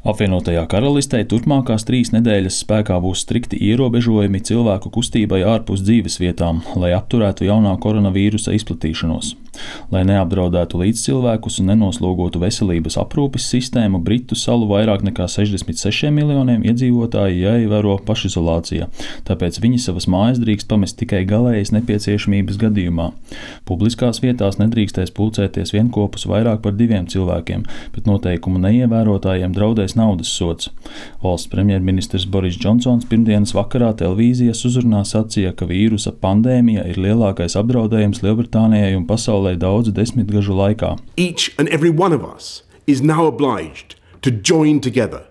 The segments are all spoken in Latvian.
Apvienotajā karalistē turpmākās 3 nedēļas spēkā būs strikti ierobežojumi cilvēku kustībai ārpus dzīvesvietām, lai apturētu jaunā koronavīrusa izplatīšanos. Lai neapdraudētu līdzcilvēkus un nenoslogotu veselības aprūpes sistēmu, Britu salu vairāk nekā 66 miljoniem iedzīvotāji jāievēro pašizolācija, tāpēc viņi savas mājas drīkst pamest tikai galējas nepieciešamības gadījumā. Publiskās vietās nedrīkstēs pulcēties vienkopus vairāk par 2 cilvēkiem, bet noteikumu neievērotājiem draudēs naudas sods. Valsts premjerministrs Boris Džonsons pirmdienas vakarā televīzijas uzrunā sacīja, ka vīrusa pandēmija ir lielākais apdraudējums Lielbritānijai un pasaulē daudzu desmitgažu laikā. Each and every one of us is now obliged to join together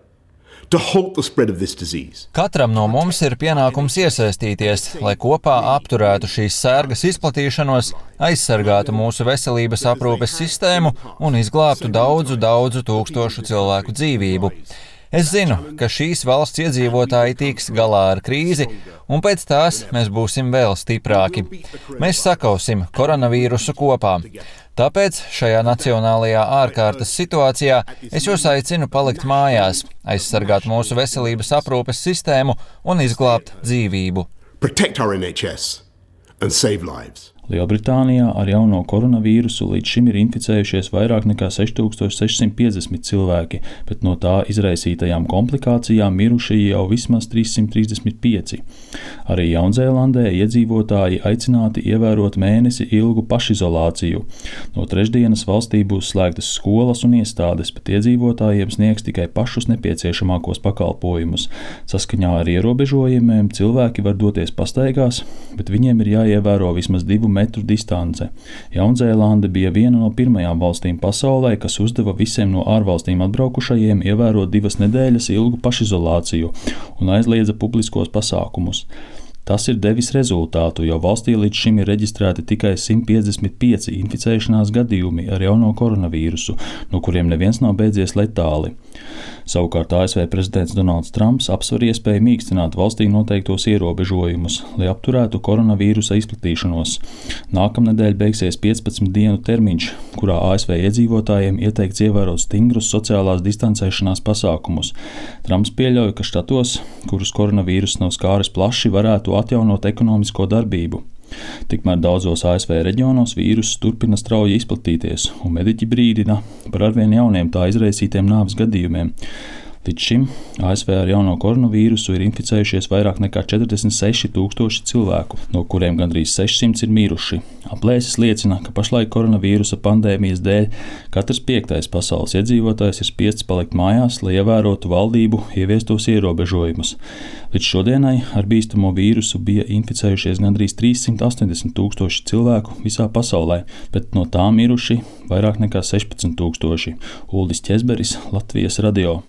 to halt the spread of this disease. Katram no mums ir pienākums iesaistīties, lai kopā apturētu šīs sērgas izplatīšanos, aizsargātu mūsu veselības aprūpes sistēmu un izglābtu daudzu tūkstošu cilvēku dzīvību. Es zinu, ka šīs valsts iedzīvotāji tiks galā ar krīzi, un pēc tās mēs būsim vēl stiprāki. Mēs sakausim koronavīrusu kopā. Tāpēc šajā nacionālajā ārkārtas situācijā es jūs aicinu palikt mājās, aizsargāt mūsu veselības aprūpes sistēmu un izglābt dzīvību. Protect our NHS and save lives. Lielbritānijā ar jauno koronavīrusu līdz šim ir inficējušies vairāk nekā 6650 cilvēki, bet no tā izraisītajām komplikācijām miruši jau vismaz 335. Arī Jaunzēlandē iedzīvotāji aicināti ievērot mēnesi ilgu pašizolāciju. No trešdienas valstī būs slēgtas skolas un iestādes, bet iedzīvotājiem sniegs tikai pašus nepieciešamākos pakalpojumus. Saskaņā ar ierobežojumiem cilvēki var doties pastaigās, bet viņiem ir jāievēro vismaz 2 metru distance. Jaunzēlande bija viena no pirmajām valstīm pasaulē, kas uzdeva visiem no ārvalstīm atbraukušajiem ievērot 2 nedēļas ilgu pašizolāciju un aizliedza publiskos pasākumus. Tas ir devis rezultātu, jo valstī līdz šim ir reģistrēti tikai 155 inficēšanās gadījumi ar jauno koronavīrusu, no kuriem neviens nav beidzies letāli. Savukārt ASV prezidents Donalds Trumps apsver iespēju mīkstināt valstī noteiktos ierobežojumus, lai apturētu koronavīrusa izplatīšanos. Nākamnedēļ beigsies 15 dienu termiņš, kurā ASV iedzīvotājiem ieteikts ievērot stingrus sociālās distancēšanās pasākumus. Trumps pieļauj, ka štatos, kurus koronavīruss nav skāris plaši, varētu atjaunot ekonomisko darbību. Tikmēr daudzos ASV reģionos vīruss turpina strauji izplatīties, un mediķi brīdina par arvien jauniem tā izraisītiem nāves gadījumiem. Līdz šim ASV ar jauno koronavīrusu ir inficējušies vairāk nekā 46 000 cilvēku, no kuriem gandrīz 600 ir miruši. Aplēses liecina, ka pašlaik koronavīrusa pandēmijas dēļ katrs 5. pasaules iedzīvotājs ir spiests palikt mājās, lai ievērotu valdību ieviestos ierobežojumus. Līdz šodienai ar bīstamo vīrusu bija inficējušies gandrīz 380 000 cilvēku visā pasaulē, bet no tām miruši vairāk nekā 16 000. Uldis Ķezberis, Latvijas radio.